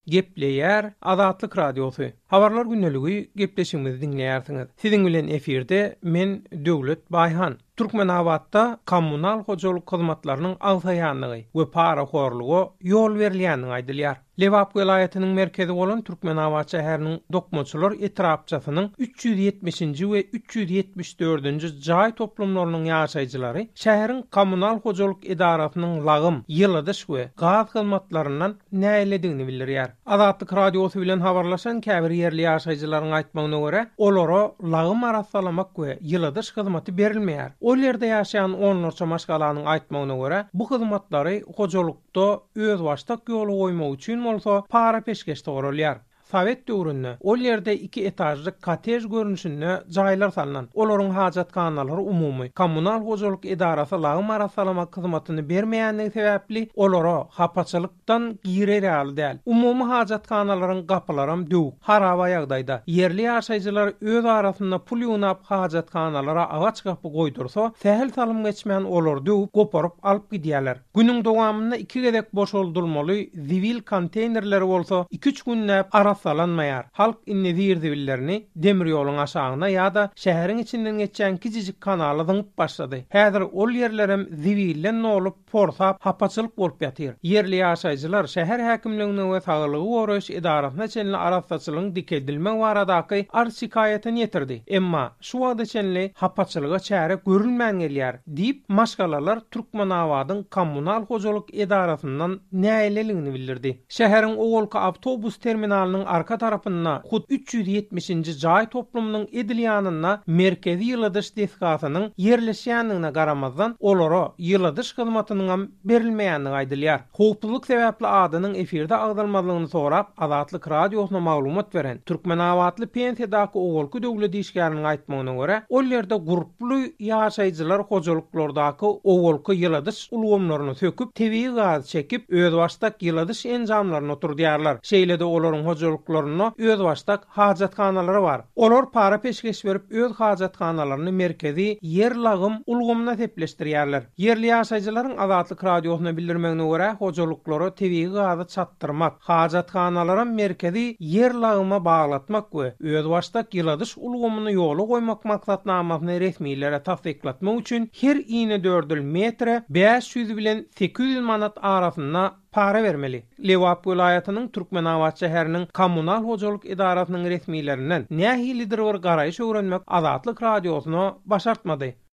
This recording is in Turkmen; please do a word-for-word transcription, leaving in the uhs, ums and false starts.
Gepleýär Azatlyk Radiosy. Habarlar gündeligi gepleşigimizi diňleýärsiňiz. Siziň bilen efirde men Döwlet Baýhan. Türkmenabatda kommunal hojalyk hyzmatlarynyň agsaýanlygy we parahorluga ýol berilýänligi aýdylýar. Lebap welaýatynyň merkezi bolan Türkmenabat şäheriniň Dokmaçylar etrapçasynyň üç ýüz ýetmişinji we üç ýüz ýetmiş dördünji jaý toplumlarynyň ýaşaýjylary şäheriň kommunal hojalyk edarasynyň lagym, ýyladyş we gaz hyzmatlaryndan nägiledigini bildirýär. Azatlyk Radiosy bilen habarlaşan käbir ýerli ýaşaýjylaryň aýtmagyna görä, olara lagym arassalamak we ýyladyş hyzmaty berilmeýär. Ol ýerde ýaşaýan onlarça maşgalanyň aýtmagyna görä, bu hyzmatlary hojalykda özbaşdak ýola goýmak üçin bolsa para peşgeş soralýar. Sovet döwründe ol ýerde iki etažly kottej görnüşinde jaýlar salnan. Olaryň hajathanalary umumy kommunal hojalyk edarasy lagym arassalamak hyzmatyny bermeýänligi sebäpli olara hapaçylykdan girer ýaly däl. Umumy hajathanalaryň gapylaram döwük, haraba ýagdaýda. Ýerli ýaşaýjylar öz arasynda pul ýygnap hajathanalara agaç gapy goýdursa, sähel salym geçmän olar döwüp, goparyp alyp gidýärler. Günüň dowamynda iki gezek boşaldylmaly zibil konteynerleri bolsa iki üç günläp arassalanmaýar. Halk indi zir-zibillerini demir ýoluň aşagyna ýa-da şäheriň içinden geçýän kiçijik kanala zyňyp başlady. Häzir ol ýerlerem zibilden dolup, porsap, hapaçylyk bolup ýatyr. Ýerli ýaşaýjylar şäher häkimligine we saglygy goraýyş edarasyna çenli arassaçylygyň dikeldilmegi baradaky arz şikaýatyny ýetirdi. Emma şu wagta çenli hapaçylyga çäre görülmän gelýär diýip, maşgalalar Türkmenabadyň kommunal hojalyk edarasyndan nägileligini bildirdi. Şäheriň owalky awtobus terminalynyň arka tarapynda hut üç ýüz ýetmişinji jaý toplumynyň edil ýanynda merkezi ýyladyş desgasynyň ýerleşýänligine garamazdan olara ýyladyş hyzmatynyň hem berilmeýänligi aýdylýar. Howpsuzlyk sebäpli adynyň efirde agzalmazlygyny sorap Azatlyk Radiosyna maglumat beren Türkmenabatly pensiýadaky owalky döwlet işgäriniň aýtmagyna görä, ol ýerde gurply ýaşaýjylar hojalyklardaky owalky ýyladyş ulgamlaryny söküp, tebigy gaz çekip, özbaşdak ýyladyş enjamlaryny oturdýarlar. Şeýle-de olaryň hojalyklarynda özbaşdak hajathanalary bar. Olar para peşgeş berip öz hajathanalaryny merkezi ýer lagym ulgamyna sepleşdirýärler. Ýerli ýaşaýjylaryň Azatlyk Radiosyna bildirmegine görä, hojalyklara tebigy gazy çatdyrmak, hajathanalara merkezi ýer lagyma baglatmak we özbaşdak ýyladyş ulgamyny ýola goýmak maksatnamasyny resmilere tassyklatmak üçin her inedördül metre bäş ýüz bilen sekiz ýüz manat arasynda para bermeli. Lebap welaýatynyň Türkmenabat şäheriniň kommunal hojalyk edarasynyň resmilerinden nähilidir bir garaýyş öwrenmek Azatlyk Radiosyna başartmady.